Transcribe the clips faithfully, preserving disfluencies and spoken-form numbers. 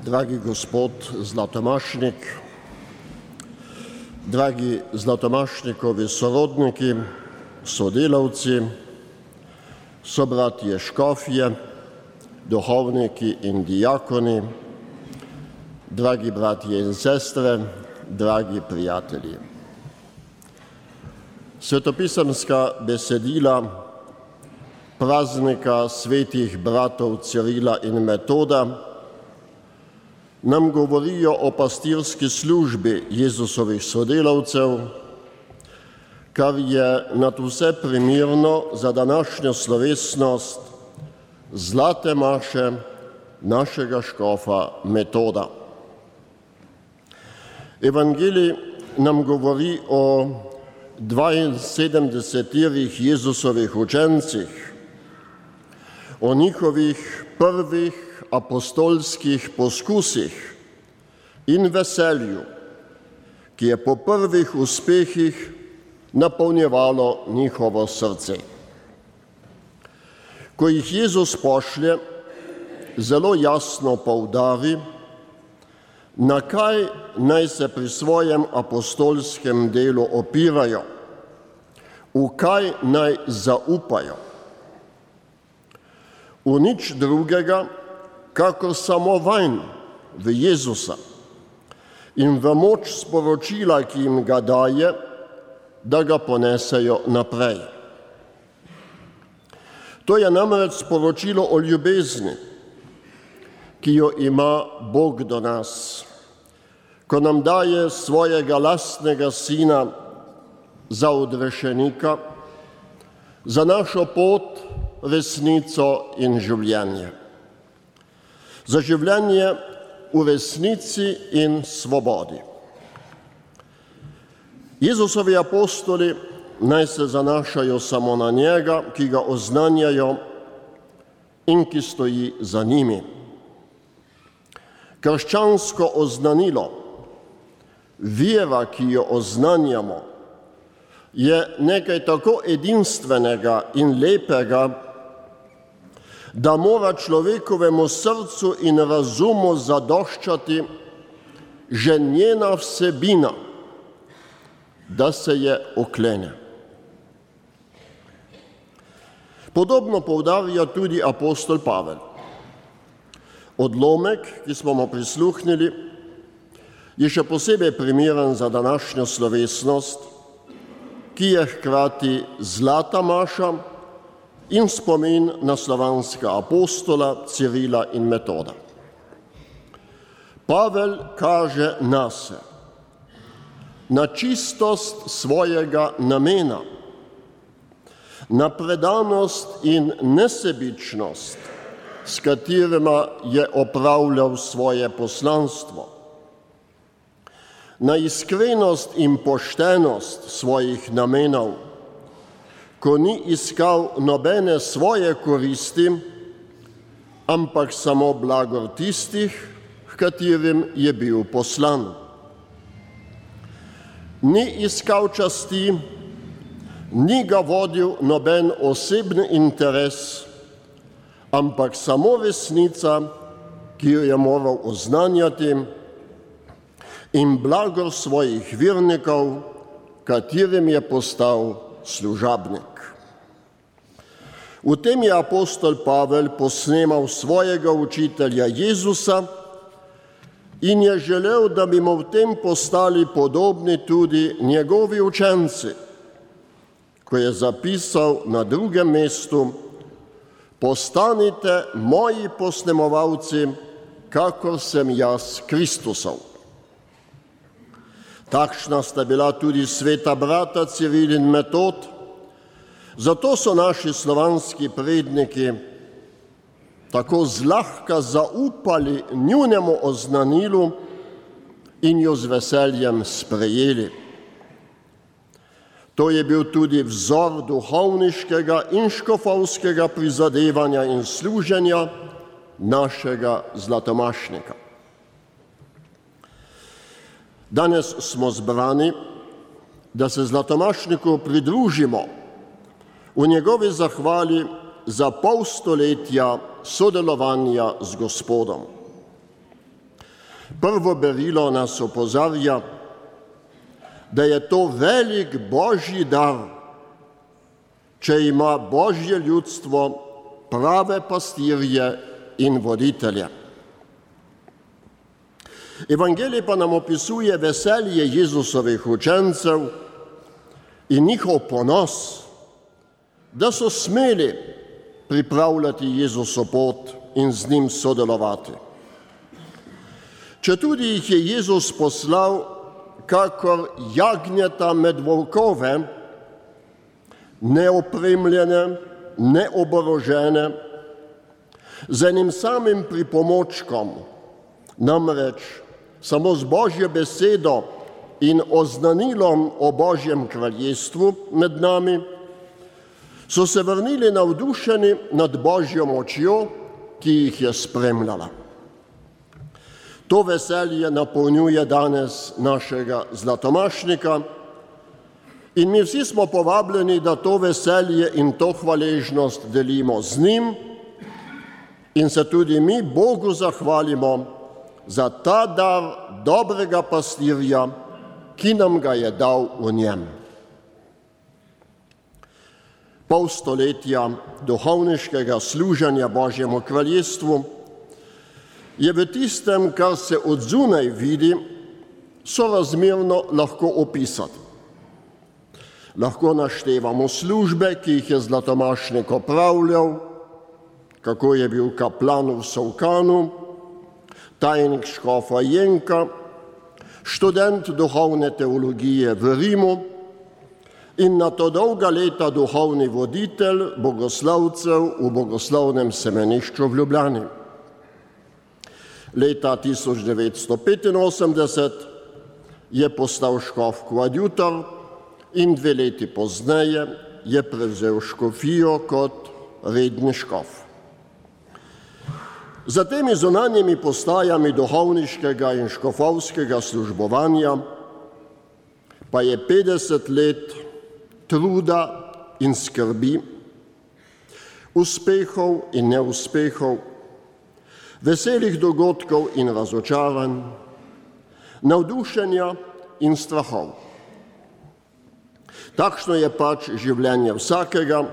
dragi gospod Zlatomašnik, dragi Zlatomašnikovi sorodniki, sodelavci, sobratje škofje, duhovniki in dijakoni, dragi bratje in sestre, dragi prijatelji. Svetopisemska besedila praznika svetih bratov Cirila in Metoda nam govorijo o pastirski službi Jezusovih sodelavcev, kar je nadvse primerno za današnjo slovesnost zlate maše našega škofa Metoda. Evangelij nam govori o dvainsedemdesetih Jezusovih učencih, o njihovih prvih apostolskih poskusih in veselju, ki je po prvih uspehih napolnjevalo njihovo srce. Ko jih Jezus pošlje, zelo jasno poudari, na kaj naj se pri svojem apostolskem delu opirajo, v kaj naj zaupajo. V nič drugega, kakor samo vanj, v Jezusa in v moč sporočila, ki jim ga daje, da ga ponesejo naprej. To je namreč sporočilo o ljubezni, ki jo ima Bog do nas, ko nam daje svojega lastnega sina za odrešenika, za našo pot, resnico in življenje. Za življenje v resnici in svobodi. Jezusovi apostoli naj se zanašajo samo na njega, ki ga oznanjajo in ki stoji za njimi. Krščansko oznanilo, vera, ki jo oznanjamo, je nekaj tako edinstvenega in lepega, da mora človekovemu srcu in razumu zadoščati že njena vsebina, da se je oklene. Podobno poudarja tudi apostol Pavel. Odlomek, ki smo mu prisluhnili, je še posebej primeren za današnjo slovesnost, ki je hkrati zlata maša in spomin na slovanska apostola Cirila in Metoda. Pavel kaže nase, na čistost svojega namena, na predanost in nesebičnost, s katerima je opravljal svoje poslanstvo, na iskrenost in poštenost svojih namenov, ko ni iskal nobene svoje koristi, ampak samo blagor tistih, h katerim je bil poslan. Ni iskal časti, ni ga vodil noben osebni interes, ampak samo resnica, ki jo je moral oznanjati, in blagor svojih vernikov, katerim je postal služabnik. V tem je apostol Pavel posnemal svojega učitelja Jezusa in je želel, da bi mu v tem postali podobni tudi njegovi učenci, ko je zapisal na drugem mestu: postanite moji posnemovalci, kakor sem jaz Kristusov. Takšna sta bila tudi sveta brata Ciril in Metod, zato so naši slovanski predniki tako zlahka zaupali njunemu oznanilu in jo z veseljem sprejeli. To je bil tudi vzor duhovniškega in škofovskega prizadevanja in služenja našega Zlatomašnika. Danes smo zbrani, da se Zlatomašniku pridružimo v njegovi zahvali za pol stoletja sodelovanja z Gospodom. Prvo berilo nas opozarja, da je to velik božji dar, če ima božje ljudstvo prave pastirje in voditelje. Evangelij pa nam opisuje veselje Jezusovih učencev in njihov ponos, da so smeli pripravljati Jezuso pot in z njim sodelovati. Četudi jih je Jezus poslal kakor jagnjeta med volkove, neopremljene, neoborožene, z enim samim pripomočkom, namreč samo z Božjo besedo in oznanilom o Božjem kraljestvu med nami, so se vrnili navdušeni nad Božjo močjo, ki jih je spremljala. To veselje napolnjuje danes našega Zlatomašnika in mi vsi smo povabljeni, da to veselje in to hvaležnost delimo z njim in se tudi mi Bogu zahvalimo za ta dar dobrega pastirja, ki nam ga je dal v njem. Pol stoletja duhovniškega služenja Božjemu kraljestvu je v tistem, kar se od zunaj vidi, sorazmerno lahko opisati. Lahko naštevamo službe, ki jih je Zlatomašnik opravljal, kako je bil kaplan v Solkanu, tajnik škofa Jenka, študent duhovne teologije v Rimu in na to dolga leta duhovni voditelj bogoslovcev v bogoslovnem semenišču v Ljubljani. Leta tisoč devetsto petinosemdeset je postal škof koadjutor in dve leti pozneje je prevzel škofijo kot redni škof. Za temi zunanjimi postajami duhovniškega in škofovskega službovanja pa je petdeset let truda in skrbi, uspehov in neuspehov, veselih dogodkov in razočaranj, navdušenja in strahov. Takšno je pač življenje vsakega,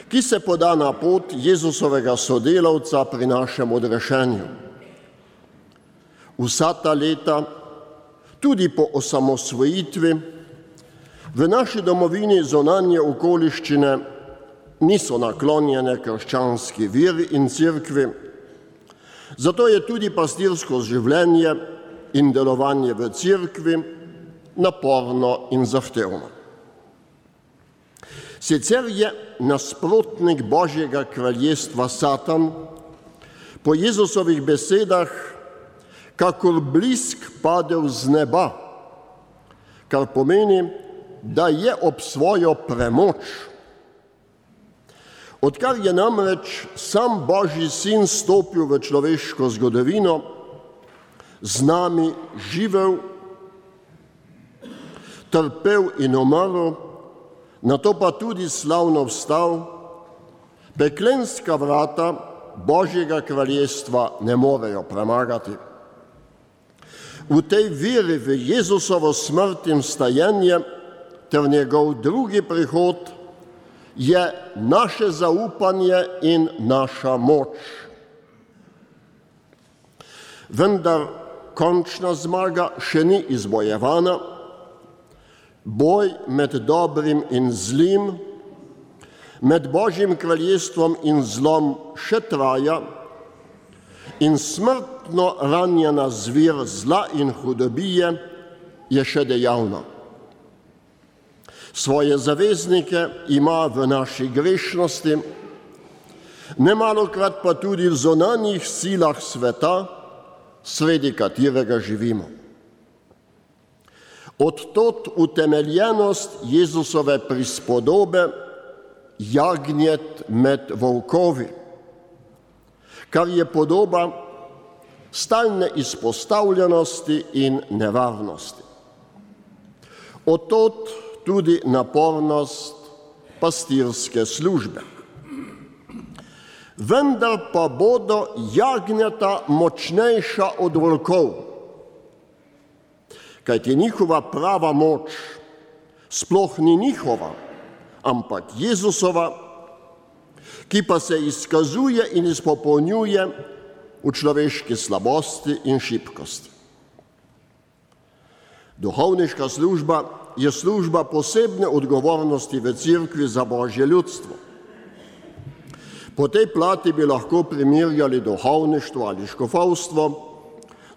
ki se poda na pot Jezusovega sodelavca pri našem odrešenju. Vsa ta leta, tudi po osamosvojitvi, v naši domovini zunanje okoliščine niso naklonjene krščanski veri in cerkvi, zato je tudi pastirsko življenje in delovanje v cerkvi naporno in zahtevno. Sicer je nasprotnik Božjega kraljestva Satan po Jezusovih besedah kakor blisk padel z neba, kar pomeni, da je ob svojo premoč. Odkar je namreč sam Božji sin stopil v človeško zgodovino, z nami živel, trpel in umrl, nato pa tudi slavno vstal, peklenska vrata Božjega kraljestva ne morejo premagati. V tej veri v Jezusovo smrt in vstajenje ter njegov drugi prihod je naše zaupanje in naša moč. Vendar končna zmaga še ni izbojevana, boj med dobrim in zlim, med Božjim kraljestvom in zlom še traja in smrtno ranjena zvir zla in hudobije je še dejavna. Svoje zaveznike ima v naši grešnosti, nemalokrat pa tudi v zunanjih silah sveta, sredi katerega živimo. Odtot utemeljenost Jezusove prispodobe jagnjet med volkovi, kar je podoba stalne izpostavljenosti in nevarnosti. Odtot tudi napornost pastirske službe. vendar pa bodo jagnjata močnejša od volkov. Kajti njihova prava moč sploh ni njihova, ampak Jezusova, ki pa se izkazuje in izpopolnjuje v človeški slabosti in šibkosti. Duhovniška služba je služba posebne odgovornosti v Cerkvi za Božje ljudstvo. Po tej plati bi lahko primerjali duhovništvo ali škofovstvo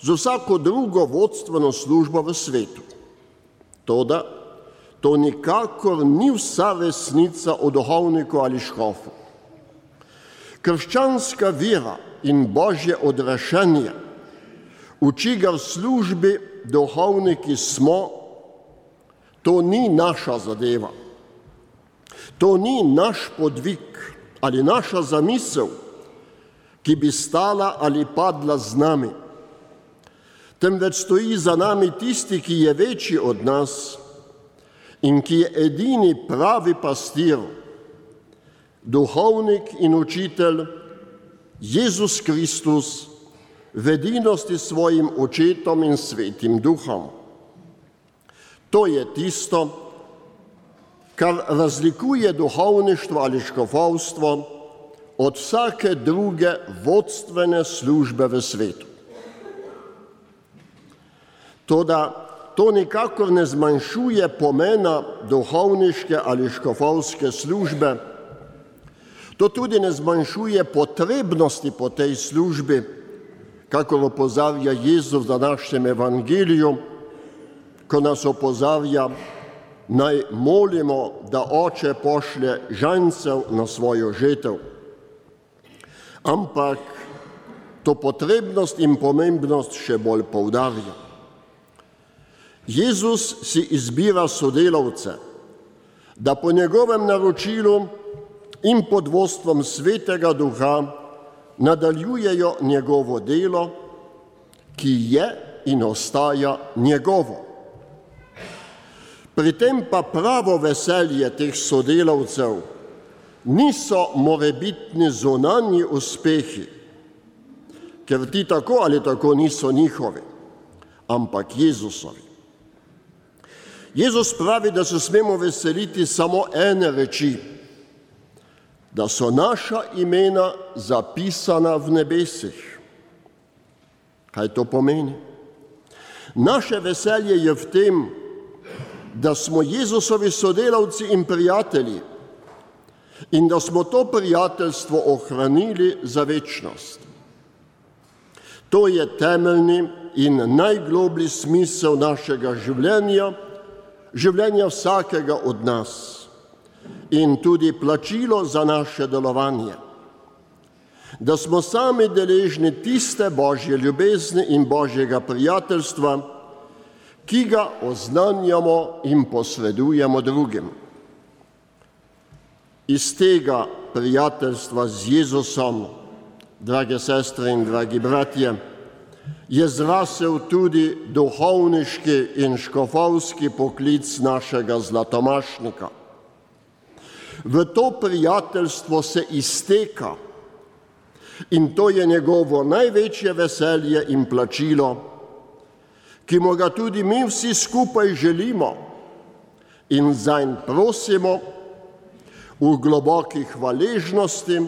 z vsako drugo vodstveno službo v svetu. Toda to nikakor ni vsa resnica o duhovniku ali škofu. Krščanska vera in Božje odrešenje uči ga v službi duhovniki smo, to ni naša zadeva. To ni naš podvig ali naša zamisel, ki bi stala ali padla z nami. Temveč stoji za nami tisti, ki je večji od nas in ki je edini pravi pastir, duhovnik in učitelj, Jezus Kristus, v edinosti s svojim očetom in svetim duhom. To je tisto, kar razlikuje duhovništvo ali škofovstvo od vsake druge vodstvene službe v svetu. Toda to nikakor ne zmanjšuje pomena duhovniške ali škofovske službe, to tudi ne zmanjšuje potrebnosti po tej službi, kakor opozarja Jezus v današnjem evangeliju, ko nas opozarja, naj molimo, da Oče pošlje žancev na svojo žetev. Ampak to potrebnost in pomembnost še bolj poudarja. Jezus si izbira sodelavce, da po njegovem naročilu in pod vodstvom Svetega Duha nadaljujejo njegovo delo, ki je in ostaja njegovo. Pri tem pa pravo veselje teh sodelavcev niso morebitni zunanji uspehi, ker ti tako ali tako niso njihovi, ampak Jezusovi. Jezus pravi, da se smemo veseliti samo ene reči, da so naša imena zapisana v nebesih. Kaj to pomeni? Naše veselje je v tem, da smo Jezusovi sodelavci in prijatelji in da smo to prijateljstvo ohranili za večnost. To je temeljni in najgloblji smisel našega življenja, življenja vsakega od nas in tudi plačilo za naše delovanje. Da smo sami deležni tiste Božje ljubezni in Božjega prijateljstva, ki ga oznanjamo in posredujemo drugim. Iz tega prijateljstva z Jezusom, drage sestre in dragi bratje, je zrasel tudi duhovniški in škofovski poklic našega zlatomašnika. V to prijateljstvo se izteka in to je njegovo največje veselje in plačilo, ki mu ga tudi mi vsi skupaj želimo in zanj prosimo v globoki hvaležnosti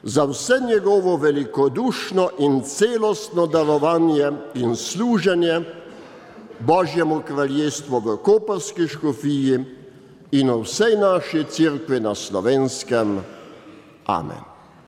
za vse njegovo velikodušno in celostno darovanje in služenje Božjemu kraljestvu v Koprski škofiji in v vsej naši cerkvi na Slovenskem. Amen.